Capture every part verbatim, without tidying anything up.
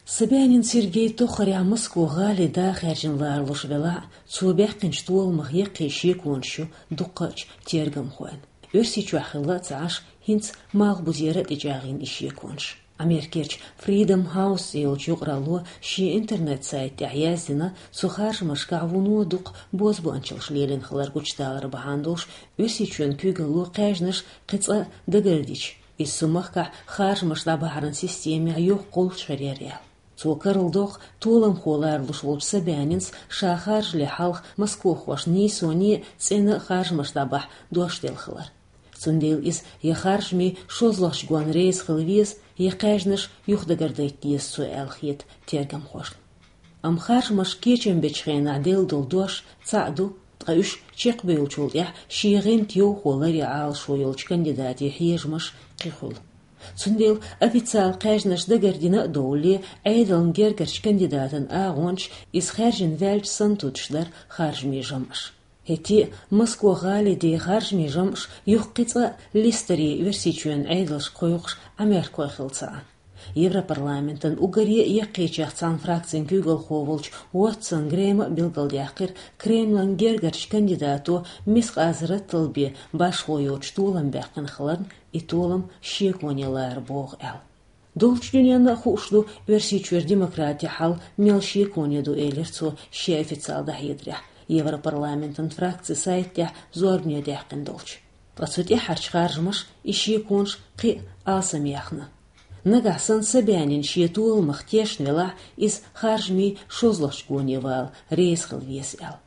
Собянин Сергей тоххарехь Москва гӀали да хаьржина ларалуш велахь а, цо баьккхинчу толамах яккхий шеконаш ю дуккхачу тергамхойн. Оьрсийчохь хилла а ца Ӏаш, хӀинца малхбузера а тӀечӀагӀйина и шеконаш. Америкерчу Freedom House цӀе йолчу юкъаралло шен интернет-сайта тӀехь яздина, цу харжамашкахь вуно дукха бозбуанчаллаш лелийна хилар гучудалар бахьана долуш, Оьрсийчоьнан куьйгалло кхаьжнаш кхин цкъа дагардича, иза цу махкахь харжамаш дӀабахьаран системехь йоккха гӀулч хир яра аьлла. Цо карладоккху толамхо ларалуш волчу Собянинс ша харжале хьалха москвахошна нийсоне а, цӀена а харжамаш дӀабахьа дош делла хилар. Цундела иза я харжамийн шозлагӀчу гонна реза хила веза, я кхаьжнаш юхадагардайта деза цо аьлла хета тергамхошна. Амма харжамаш кечам бечу хенахь делла долу дош цхьаъ ду, ткъа уьш чекхбевллачул тӀаьхьа шен гӀанта йовхо ларъян Ӏалашо йолчу кандидатийн хьежамаш кхин хуьлу. Цундела официалан кхаьжнаш дагардина а довлале, Ӏедална гергарчу кандидатан агӀончаш иза хаьржина ваьлча санна туьдуш дара харжамийн жамӀаш. ХӀетте а Москва гӀали ден харжамийн жамӀаш юха кхин цкъа листаре Оьрсийчоьнан Ӏедалшка кхойкхуш Ӏамеркахой хилла ца Ӏа. Европарламентан уггаре а яккхийчех цхьана фракцин куьйгалхо волчу Уотсон Грема а билгалдаьккхира Кремлан гергарчу кандидато мискъазарратал бен башхо йоцуш толам баьккхина хиларна, и толам шеконе лара богӀу аьлла. Долчу дуьненна а хууш ду Оьрсийчуьра демократин хьал мел шеконе ду, элира цо шен официалан дӀахьедарехь, Европарламентан фракцин сайта тӀехь зорбане даьккхина долчу. Ткъа цу тӀаьххьарчу харжамаша и шеконаш кхин а алсамъяьхна. Нагахь санна Собянин шен толамах тешна велахь, иза харжамийн шозлагӀчу гоне вала реза хила веза аьлла.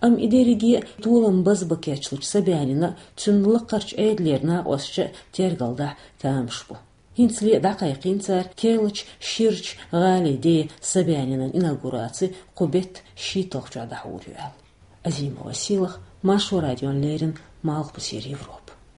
Амма и дерриге а толам базбан кечлучу Собянина а, цуьнан лакхарчу Ӏедалера накъосташа а тергалдахь тамаш бу. ХӀинцале а дӀакхайкхийна цара керлачу ширачу гӀали ден Собянинан инаугураци кху беттан шийтталгӀачохь дӀахьур ю аьлла. Азимова Сийлаха, Маршо радиона леррина, Малхбузера Европа.